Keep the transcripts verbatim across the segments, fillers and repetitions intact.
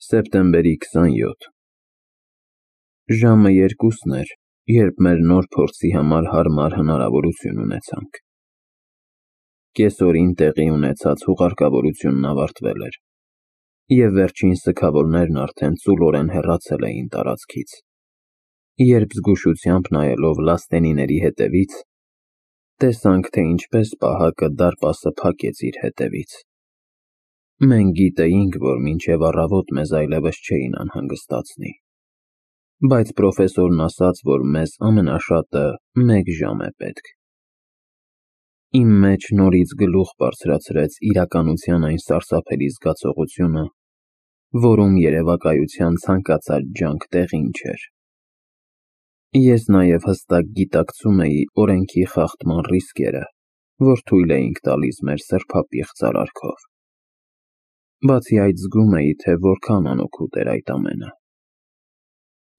Սեպտեմբերի քսանյոթ Ժամը երկուսն էր, երբ մեր նոր փորձի համար հարմար հնարավորություն ունեցանք։ Կեսօրին տեղի ունեցած հուղարկավորությունն ավարտվել էր, և վերջին սգավորներն արդեն ծուլորեն հեռացել էին տարածքից, երբ զգուշությամբ նայելով լաստենիների հետևից, տեսանք, թե ինչպես պահակը դարպասը փակեց իր հետևից։ Մենք գիտեինք, որ մինչև առավոտ մեզ այլևս չէին անհանգստացնի, բայց պրոֆեսորն ասաց, որ մեզ ամենաշատը մեկ ժամ է պետք։ Իմ մեջ նորից գլուխ բարձրացրեց իրականության այն սարսափելի զգացողությունը, որում երևակայության ցանկացած ջանք տեղին չէր։ Ես նաև հստակ գիտակցում էի օրենքի խախտման ռիսկերը, որ թույլ էինք տալիս մեր սրբապիղծ արարքով։ Բացի այդ, զգում էի, թե որքան անօգուտ էր այդ ամենը։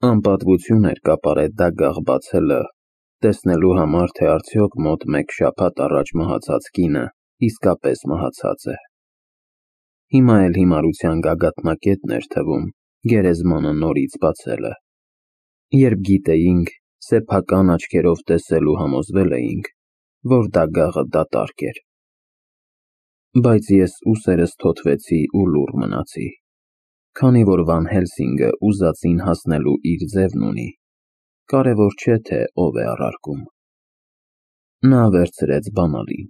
Անպատվություն էր կապարել դագաղ բացելը, տեսնելու համար, թե արդյոք մոտ մեկ շաբաթ առաջ մահացած կինը իսկապես մահացած է։ Հիմա էլ հիմարության գագաթնակետն էր թվում գերեզմանը նորից բացելը, երբ գիտեինք, սեփական աչքերով տեսել ու համոզվել էինք, որ դագաղը դատարկ էր։ Բայց ես ուսերս թոթվեցի ու լուռ մնացի, քանի որ Վան Հելսինգը ուզածին հասնելու իր ձևն ունի, կարևոր չէ, թե ով է առարկում։ Նա վերցրեց բանալին,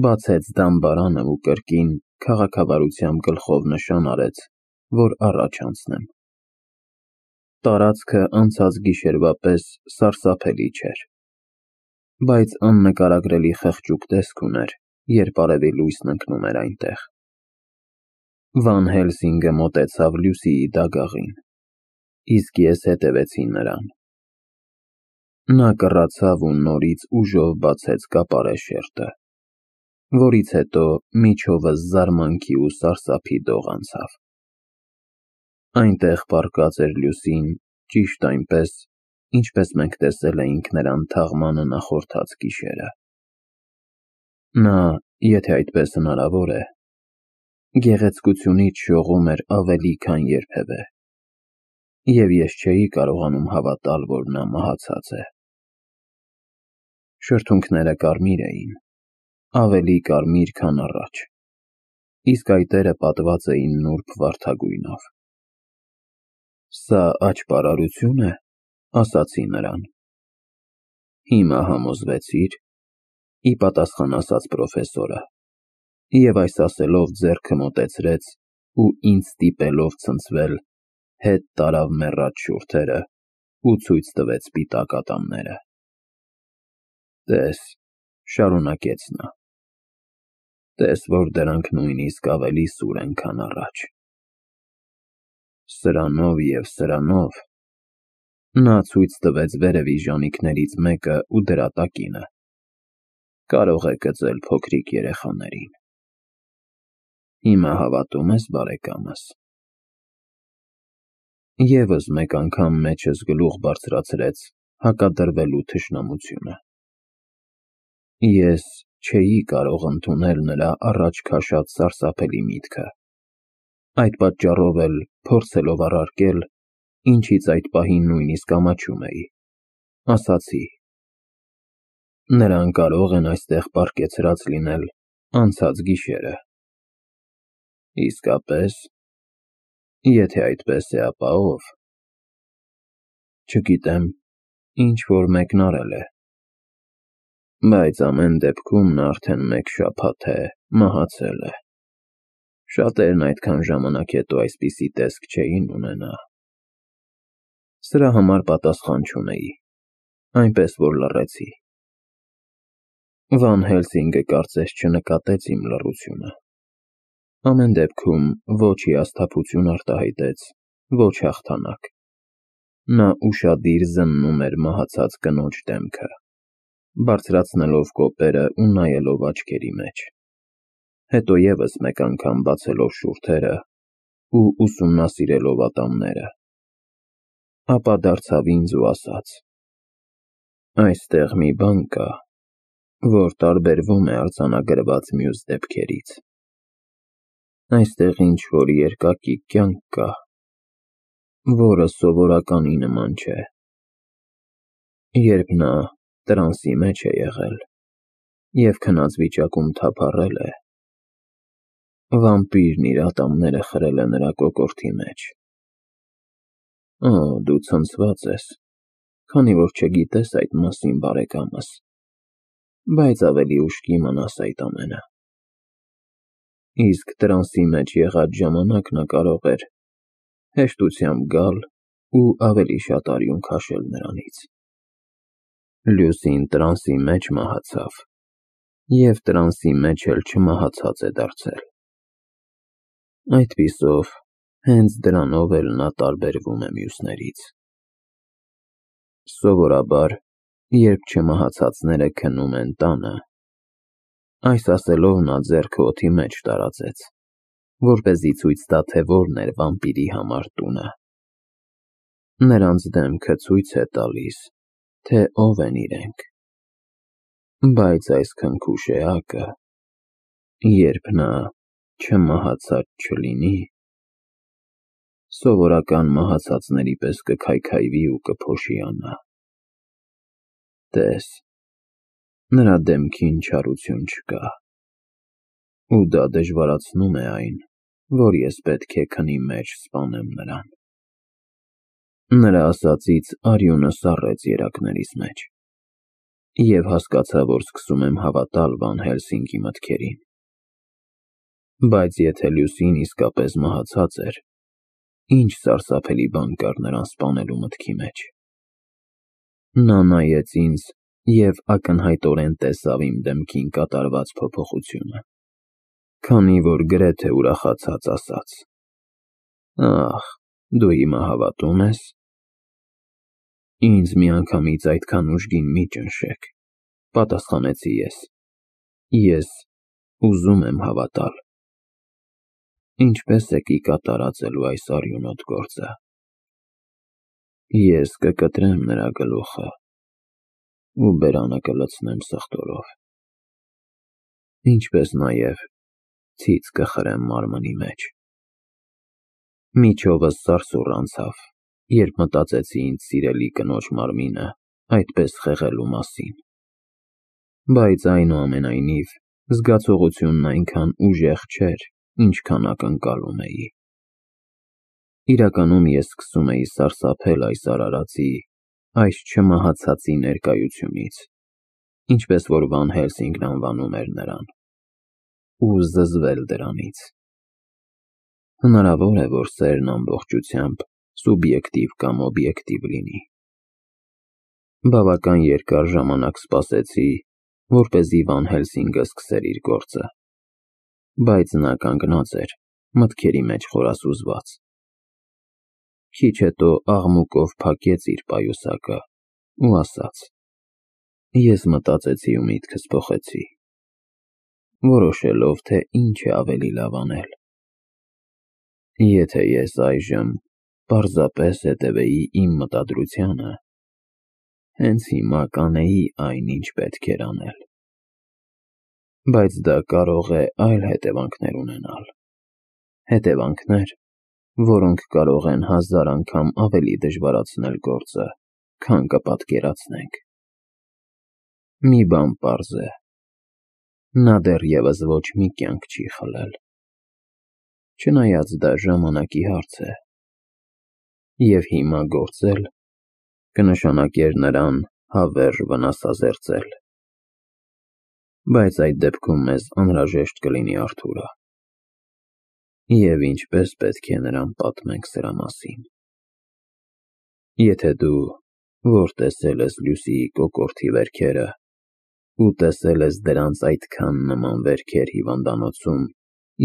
բացեց դամբարանը ու կրկին քաղաքավարությամբ գլխով նշան արեց, որ առաջ անցնեմ։ Տարածքը անցած գիշերվա պես սարսափելի չէր, բայց աննկարագրելի խղճուկ տեսք ուներ, երբ արևի լույսն ընկնում էր այնտեղ։ Վան Հելսինգը մոտեցավ Լյուսիի դագաղին, իսկ ես հետևեցի նրան։ Նա կռացավ ու նորից ուժով բացեց կապարե շերտը, որից հետո միջովս զարմանքի ու սարսափի դող անցավ։ Այնտեղ պառկած էր Լյուսին ճիշտ այնպես, ինչպես մենք տեսել էինք նրան թաղմանը նախորդած գիշերը։ Նա, եթե այդպես հնարավոր է, գեղեցկությունից շողում էր ավելի, քան երբևէ, և ես չէի կարողանում հավատալ, որ նա մահացած է։ Շրթունքները կարմիր էին, ավելի կարմիր, քան առաջ, իսկ այտերը պատված էին նուրբ վարդագույնով։ Սա աճպարարությո՞ւն է, ասացի նրան։ Հիմա համոզվեցի՞ր, ի պատասխան ասաց պրոֆեսորը, և այս ասելով ձեռքը մոտեցրեց ու ինձ ստիպելով ցնցվել, հետ տարավ մեռած շուրթերը ու ցույց տվեց սպիտակ ատամները։ Տես, շարունակեց նա, տես, որ դրանք նույնիսկ ավելի սուր են, քան առաջ։ Սրանով և սրանով, նա ցույց տվեց վերևի ժանիքներից մեկը ու դրա տակինը, կարող է կծել փոքրիկ երեխաներին։ Հիմա հավատո՞ւմ ես, բարեկամս։ Եվս մեկ անգամ մեջս գլուխ բարձրացրեց հակադրվելու թշնամությունը։ Ես չէի կարող ընդունել նրա առաջ քաշած սարսափելի միտքը, այդ պատճառով էլ փորձելով առարկել, ինչից այդ պահին նույնիսկ ամաչում էի, ասացի. նրանք կարող են այստեղ պառկեցրած լինել անցած գիշերը։ Իսկապե՞ս։ Եթե այդպես է, ապա ո՞վ։ Չգիտեմ, ինչ֊որ մեկն արել է։ Բայց ամեն դեպքում նա արդեն մեկ շաբաթ է մահացել է։ Շատերն այդքան ժամանակ հետո այսպիսի տեսք չէին ունենա։ Սրա համար պատասխան չունեի, այնպես որ լռեցի։ Վան Հելսինգը կարծես չնկատեց իմ լռությունը։ Ամեն դեպքում ոչ հիասթափություն արտահայտեց, ոչ հաղթանակ։ Նա ուշադիր զննում էր մահացած կնոջ դեմքը, բարձրացնելով կոպերը ու նայելով աչքերի մեջ, հետո ևս մեկ անգամ բացելով շուրթերը ու ուսումնասիրելով ատամները, ապա դարձավ ինձ ու ասաց. այստեղ մի բան կա, որ տարբերվում է արձանագրված մյուս դեպքերից։ Այստեղ ինչ-որ երկակի կյանք կա, որը սովորականի նման չէ։ Երբ նա տրանսի մեջ է եղել և քնած վիճակում թափառել է, վամպիրն իր ատամները խրել է նրա կոկորդի մեջ։ Օ, դու ցնցված ես, քանի որ չգիտես այդ մասին, բարեկամս, բայց ավելի ուշ կիմանաս այդ ամենը։ Իսկ տրանսի մեջ եղած ժամանակ նա կարող էր հեշտությամբ գալ ու ավելի շատ արյուն քաշել նրանից։ Լյուսին տրանսի մեջ մահացավ և տրանսի մեջ էլ չմահացած է դարձել։ Այդպիսով, հենց դրանով էլ նա տարբերվում է մյուսներից։ Սովորաբար, երբ չմահացածները քնում են տանը, այս ասելով նա ձեռքը օդի մեջ տարածեց, որպեսզի ցույց տա, թե որն էր վամպիրի համար տունը։ Նրանց դեմքը ցույց է տալիս, թե ով են իրենք։ Բայց այս քնքուշ էակը, երբ նա չմահացած չլինի, սովորական մահացածների պես կքայքայվի ու կփոշիանա։ Տես, նրա դեմքին չարություն չկա, ու դա դժվարացնում է այն, որ ես պետք է քնի մեջ սպանեմ նրան։ Նրա ասածից արյունը սառեց երակներիս մեջ, և հասկացա, որ սկսում եմ հավատալ Վան Հելսինգի մտքերին։ Բայց եթե Լյուսին իսկապես մահացած էր, ինչ սարսափելի բան կար նրան սպանելու մտքի մեջ։ Նա նայեց ինձ և ակնհայտորեն տեսավ իմ դեմքին կատարված փոփոխությունը, քանի որ գրեթե ուրախացած ասաց. «Ախ, դու հիմա հավատում ես»։ Ինձ միանգամից այդքան ուժգին մի ճնշեք, պատասխանեցի ես։ Ես ուզում եմ հավատալ։ Ինչպե՞ս եք ի կատարածելու այս արյունոտ գործը։ Ես կկտրեմ նրա գլուխը ու բերանը կլցնեմ սխտորով, ինչպես նաև ցից կխրեմ մարմնի մեջ։ Միջովս սարսուռ անցավ, երբ մտածեցի ինձ սիրելի կնոջ մարմինը այդպես խեղելու մասին։ Բայց այնուամենայնիվ, զգացողությունն այնքան ուժեղ չէր, ինչքան ակնկալում էի։ Իրականում ես սկսում էի սարսափել այս արարածի, այս չմահացածի ներկայությունից, ինչպես որ Վան Հելսինգն անվանում էր նրան, ու զզվել դրանից։ Հնարավոր է, որ սերն ամբողջությամբ սուբյեկտիվ կամ օբյեկտիվ լինի։ Բավական երկար ժամանակ սպասեցի, որպեսզի Վան Հելսինգը սկսեր իր գործը, բայց նա կանգնած էր, մտքերի մեջ խորասուզված։ Քիչ հետո աղմուկով փակեց իր պայուսակը ու ասաց. Ես մտածեցի ու միտքս փոխեցի, որոշելով, թե ինչ է ավելի լավ անել։ Եթե ես այժմ պարզապես հետևեի իմ մտադրությանը, հենց հիմա կանեի այն, ինչ պետք էր անել։ Բայց դա կարող է այլ հետևանքներ ունենալ։ Հետևանքներ, որոնք կարող են հազար անգամ ավելի դժվարացնել գործը, քան կպատկերացնենք։ Մի բան պարզ է. նա դեռևս ոչ մի կյանք չի խլել։ Չնայած դա ժամանակի հարց է։ Եվ հիմա գործել կնշանակեր նրան հավերժ վնասազերծել։ Բայց այդ դեպքում մեզ անհրաժեշտ կլինի Արթուրը։ Եվ ինչպես պետք է նրան պատմենք սրա մասին։ Եթե դու, որ տեսել ես Լյուսիի կոկորդի վերքերը ու տեսել ես դրանց այդքան նման վերքեր հիվանդանոցում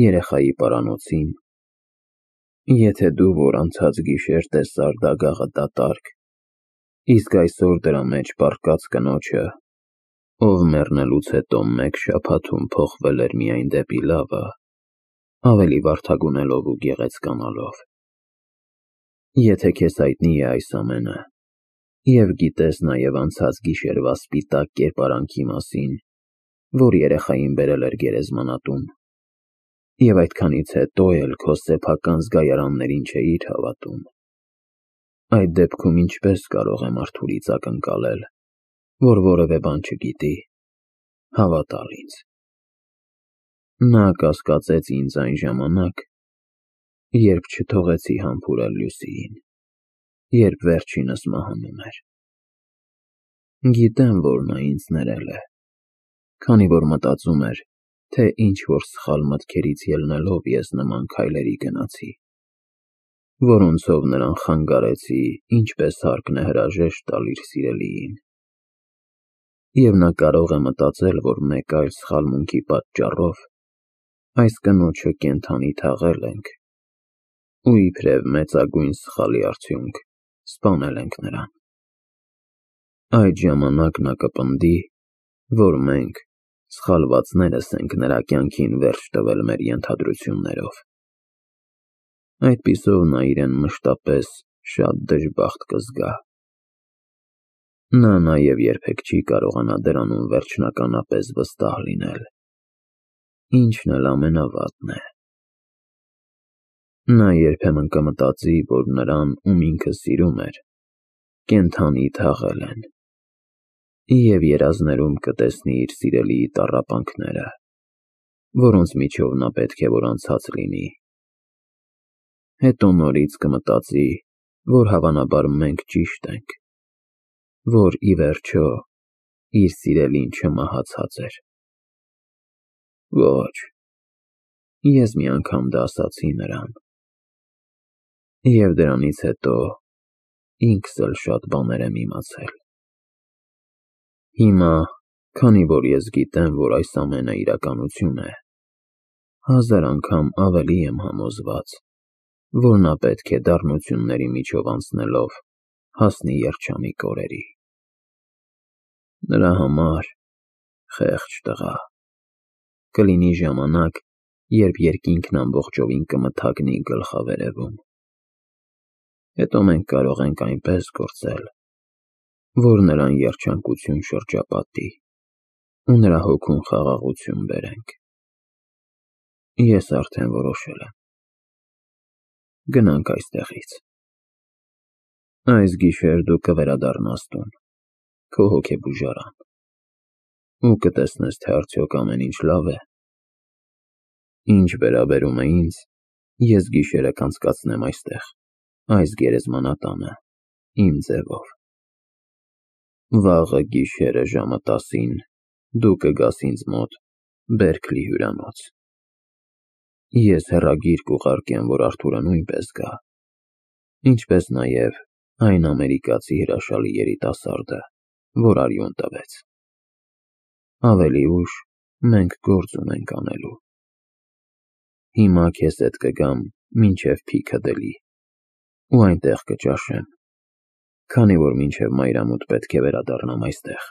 երեխայի պարանոցին, եթե դու, որ անցած գիշեր տեսար դագաղը դատարկ, իսկ այսօր դրա մեջ պառկած կնոջը, ով մեռնելուց հետո մեկ շաբաթում փոխվել էր միայն դեպի լավը, ավելի վարդագունելով ու գեղեցկանալով, եթե քեզ հայտնի է այս ամենը, և գիտես նաև անցած գիշերվա սպիտակ կերպարանքի մասին, որ երեխային բերել էր գերեզմանատուն, և այդքանից հետո էլ քո սեփական զգայարաններին չէիր հավատում, Այդ դեպքում ինչպես կարող եմ Արթուրից ակնկալել, որ որևէ բան չգիտի, հավատալ ինձ։ Նա կասկածեց ինձ այն ժամանակ, երբ չթողեցի համբուրել Լյուսիին, երբ վերջինս մահանում էր։ Գիտեմ, որ նա ինձ ներել է, քանի որ մտածում էր, թե ինչ-որ սխալ մտքերից ելնելով ես նման քայլերի գնացի, որոնցով նրան խանգարեցի, ինչպես հարկն է հրաժեշտ տալ իր սիրելիին։ Եվ նա կարող է մտածել, որ մեկ այլ սխալմունքի պատճառով այս կնոջը կենդանի թաղել ենք ու իբրև մեծագույն սխալի արդյունք սպանել ենք նրան։ Այդ ժամանակ նա կպնդի, որ մենք, սխալվածներս, ենք նրա կյանքին վերջ տվել մեր ենթադրություններով։ Այդպիսով նա իրեն մշտապես շատ դժբախտ կզգա։ Նա նաև երբեք չի կարողանա դրանում վերջնականապես վստահ լինել, ինչն էլ ամենավատն է։ Նա երբեմն կմտածի, որ նրան, ում ինքը սիրում էր, կենդանի թաղել են, և երազներում կտեսնի իր սիրելիի տառապանքները, որոնց միջով նա պետք է որ անցած լինի։ Հետո նորից կմտածի, որ հավանաբար մենք ճիշտ ենք, որ ի վերջո իր սիրելին չմահացած էր։ Ոչ, ես մի անգամ դա ասացի նրան, և դրանից հետո ինքս էլ շատ բաներ եմ իմացել։ Հիմա, քանի որ ես գիտեմ, որ այս ամենը իրականություն է, հազար անգամ ավելի եմ համոզված, որ նա պետք է դառնությունների միջով անցնելով հասնի երջանիկ օրերի։ Նրա համար, խեղճ տղա, կլինի ժամանակ, երբ երկինքն ամբողջովին կմթագնի գլխավերևում։ Հետո մենք կարող ենք այնպես գործել, որ նրան երջանկություն շրջապատի ու նրա հոգուն խաղաղություն բերենք։ Ես արդեն որոշել եմ։ Գնանք այստեղից։ Այս գիշեր դու կվերադառնաս տուն, քո հոգեբուժարան, ու կտեսնես, թե արդյոք ամեն ինչ լավ է։ Ինչ վերաբերում է ինձ, ես գիշերը կանցկացնեմ այստեղ, այս գերեզմանատանը, իմ ձևով։ Վաղը գիշերը ժամը տասին դու կգաս ինձ մոտ Բերքլի հյուրանոց։ Ես հեռագիր կուղարկեմ, որ Արթուրը նույնպես գա, ինչպես նաև այն ամերիկացի հրաշալի երիտասարդը, որ արյուն տվեց։ Ավելի ուշ մենք գործ ունենք անելու։ Հիմա քեզ հետ կգամ մինչև Փիքադիլի ու այնտեղ կճաշեմ, քանի որ մինչև մայրամուտ պետք է վերադառնամ այստեղ։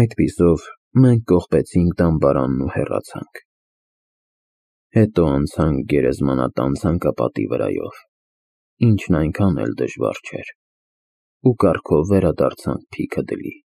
Այդպիսով մենք կողպեցինք դամբարանն ու հեռացանք։ Հետո անցանք գերեզմանատան ցանկապատի վրայով, ինչն այնքան էլ դժվար չէր, ու կառքով վերադարձանք Փիքադիլի։